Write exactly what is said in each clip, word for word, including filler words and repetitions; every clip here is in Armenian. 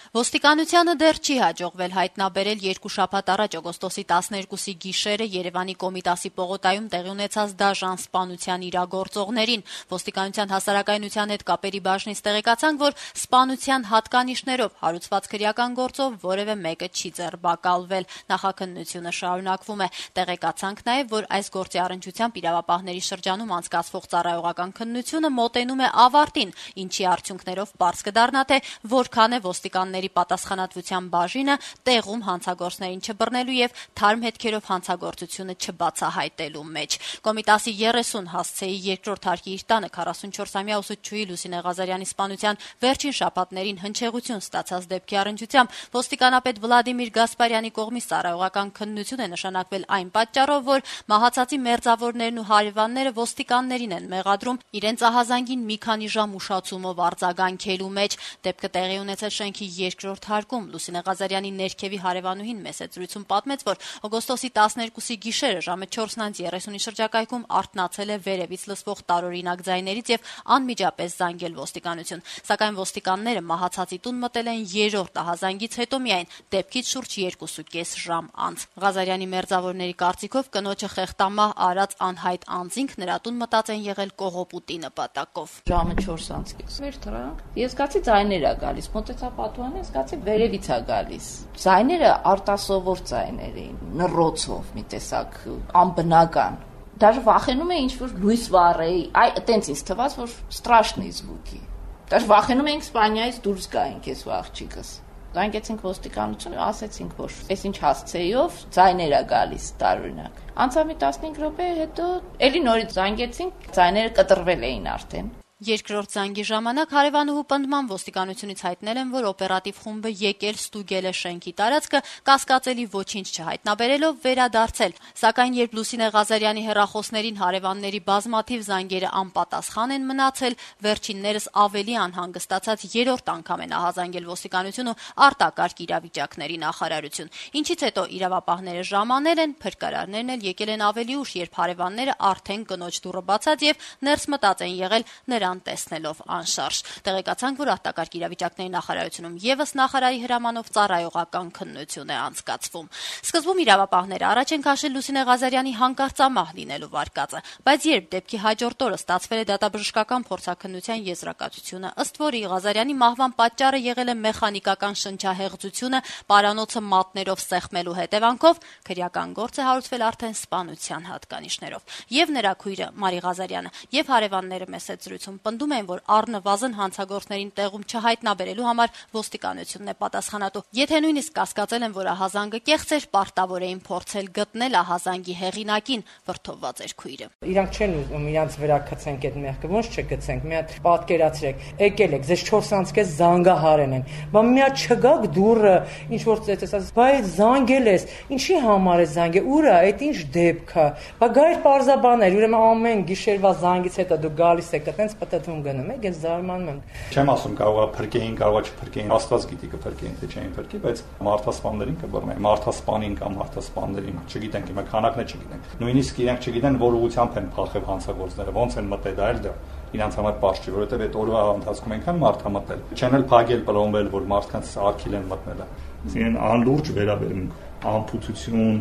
Ոստիկանությանը դեռ չի հաջողվել հայտնաբերել երկու շաբաթ առաջ օգոստոսի տասներկուսի գիշերը Երևանի Կոմիտասի պողոտայում տեղի ունեցած դաժան սպանության իրագործողներին։ Ոստիկանության հասարակայնության հետ կապերի բաժնից տեղեկացանք, որ սպանության հատկանիշներով հարուցված քրեական գործով որևէ մեկը չի ձերբակալվել։ Նախաքննությունը շարունակվում է։ Տեղեկացանք նաև, որ այս գործի առնչությամբ իրավապահների շրջանում անցկացվող ծառայողական քննությունը մոտենում է ավարտին, ինչի արդյունքներով պարզ կդառնա, թե որքան է ոստիկանների պատասխանատվության բաժինը տեղում հանցագործներին չբռնելու եւ թարմ հետքերով հանցագործությունը չբացահայտելու մեջ։ Կոմիտասի երեսուն հասցեի երկրորդ հարկի իր տանը քառասունչորսամյա ուսուցչուհի Լուսինե Ղազարյանի սպանության վերջին շաբաթներին հնչեղություն ստացած դեպքի առնչությամբ ոստիկանապետ Վլադիմիր Գասպարյանի կողմից ծառայողական քննություն է նշանակվել այն պատճառով, որ մահացածի մերձավորներն ու հարևանները ոստիկաններին են մեղադրում իրենց ահազանգին մի քանի ժամ ուշացումով արձագանքելու մեջ։ Դեպքը տեղի ունեցել շենքի երկրորդ հարկում։ Լուսինե Ղազարյանի ներքևի հարևանուհին մեծ զրույցում պատմեց, որ օգոստոսի տասներկուսի գիշերը ժամը չորսն անց երեսունի շրջակայքում արթնացել է վերևից լսվող տարօրինակ ձայներից եւ անմիջապես զանգել ոստիկանություն։ Սակայն ոստիկանները մահացածի տուն մտել են երրորդ ահազանգից հետո միայն, դեպքից շուրջ երկուսուկես ժամ անց։ Ղազարյանի մերձավորների կարծիքով կնոջը խեղտամահ արած անհայտ անձինք նրա տուն մտած են եղել կողոպուտի նպատակով։ Ժամը չորս անց մեր թռանք։ Ես զգացի ձայներ է գալիս, մոտեցա պատուհանը, զգացի վերևից է գալիս։ Ձայները արտասովոր ձայներ էին, նռոցով մի տեսակ անբնական։ Даже վախենում էի ինչ-որ լույս վառեի, այ այտենց ինձ թվաց, որ страшный звуки։ Даже վախենում էինք Իսպանիայից դուրս գայինք ես ու աղջիկս։ Զանգեցինք ոստիկանություն, ասեցինք, որ այս ինչ հասցեով ձայներ է գալիս տարօրինակ։ Անցավ մի տասնհինգ րոպե, հետո էլի նորից զանգեցինք, ձայները կտրվել էին արդեն։ Երկրորդ զանգի ժամանակ հարևանուհու պնդման ոստիկանությունից հայտնել են, որ օպերատիվ խումբը եկել ստուգել է շենքի տարածքը, կասկածելի ոչինչ չհայտնաբերելով վերադարձել։ Սակայն երբ Լուսինե Ղազարյանի հեռախոսներին հարևանների բազմաթիվ զանգերը անպատասխան են մնացել, վերջիններս ավելի անհանգստացած երրորդ անգամ են ահազանգել ոստիկանություն ու արտակարգ իրավիճակների նախարարություն։ Ինչից հետո իրավապահները ժամանել են, փրկարարներն էլ եկել են ավելի ուշ, երբ հարևանները արդեն կնոջ դուռը բացած եւ ներս մտած են եղել նրա տեսնելով անշարժ։ Տեղեկացանք, որ արտակարգ իրավիճակների նախարարությունում եւս նախարարի հրամանով ծառայողական քննություն է անցկացվում։ Սկզբում իրավապահները առաջ են քաշել Լուսինե Ղազարյանի հանկարծամահ լինելու վարկածը, բայց երբ դեպքի հաջորդ օրը ստացվել է դատաբժշկական փորձաքննության եզրակացությունը, ըստ որի Ղազարյանի մահվան պատճառը եղել է մեխանիկական շնչահեղձությունը պարանոցը մատներով սեղմելու հետևանքով, քրեական գործ է հարուցվել արդեն սպանության հատկանիշներով։ Եվ նրա քույրը Մարի Ղազարյանը եւ հարևանները մեծ զրույցում պնդում են, որ առնվազն հանցագործներին տեղում չհայտնաբերելու համար ոստիկանությունն է պատասխանատու։ Եթե նույնիսկ կասկածել են, որ ահազանգը կեղծ էր, պարտավոր էին փորձել գտնել ահազանգի հեղինակին, վրդովված էր քույրը։ Իրանք չեն ուզում իրանց վրա գցենք այդ մեղքը, ոնց չգցենք։ Մի հատ պատկերացրեք, եկել եք, ձեզ չորս անց կես զանգահարեն են։ Բա մի հատ չգաք դուրը, ինչ որ ծեծես, բայց զանգել ես, ինչի համար է զանգել, ուր է, այդ ինչ դեպք է։ Բա գա իր պարզաբաներ, ուրեմն ամեն գիշերվա զանգից հետո դու գալիս եք այտենց պատտվում գնում եք, ես զարմանում եմ։ Չեմ ասում կարողա փրկեին, կարողա չփրկեին, Աստված գիտի կփրկեին, թե չէին փրկի, բայց մարդասպաններին կբռնեն, մարդասպանին կամ մարդասպաններին, չգիտենք, հիմա քանակն է չգիտենք։ Նույնիսկ իրենք չգիտեն, որ ուղղությամբ են փախել հանցագործները, ոնց են մտել, դա էլ դա իրանց համար պարզ չի, որովհետև այդ օրվա ընթացքում այնքան մարդ է մտել։ Չեն էլ փագել, պլոմբել, որ մարդկանց արկիլ են մտնել։ Իրեն անլուրջ վերաբերմունք, անփութություն,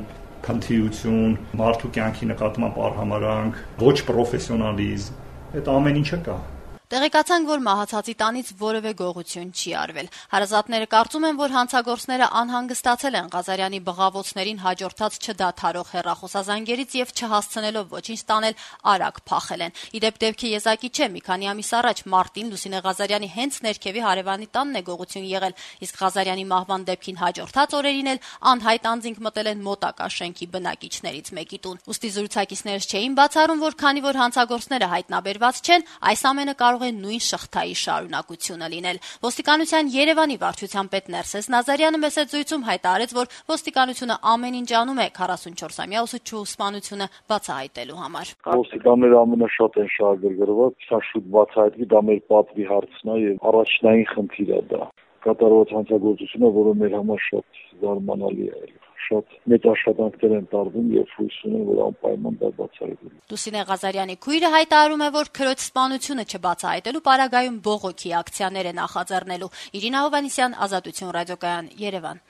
քնթիություն, մարդու կյանքի նկատմամբ արհամարանք, ոչ պրոֆեսիոնալիզմ, այդ ամեն ինչը կա։ Տեղեկացանք, որ մահացածի տանից որևէ գողություն չի արվել։ Հարազատները կարծում են, որ հանցագործները անհանգստացել են Ղազարյանի բղավոցներին հաջորդած չդադարող հեռախոսազանգերից եւ չհասցնելով ոչինչ տանել, արագ փախել են։ Իդեպ դեպքի եզակի չէ, մի քանի ամիս առաջ մարտին Լուսինե Ղազարյանի հենց ներքևի հարևանի տանն է գողություն եղել, իսկ Ղազարյանի մահվան դեպքին հաջորդած օրերին էլ անհայտ անձինք մտել են մոտակա շենքի բնակիչներից մեկի տուն։ Ուստի զրուցակիցներս չէին բացառում, որ քանի որ հանցագործները հայտնաբերված չեն, այս ամենը կարող է նույն շղթայի շարունակությունը լինել։ Ոստիկանության Երևանի վարչության պետ Ներսես Նազարյանը մեծ զրույցում հայտարարեց, որ ոստիկանությունը ամեն ինչ անում է քառասունչորսամյա ուսուցչուհու սպանությունը բացահայտելու համար։ Ոստիկանները ամենաշատ են շահագրգռված, սա շուտ բացահայտվի, դա մեր պատվի հարցն է եւ առաջնային խնդիր է դա։ Կատարված հանցագործությունը, որը մեր համար շատ զարմանալի է, շատ մեծ աշխատանքներ են տարվում եւ հույս ունեմ, որ անպայման դա բացահայտվի։ Լուսինե Ղազարյանի քույրը հայտարարում է, որ քրոջ սպանությունը չբացահայտելու պարագայում բողոքի ակցիաներ է նախաձեռնելու։ Իրինա Հովհաննիսյան, Ազատություն ռադիոկայան, Երևան։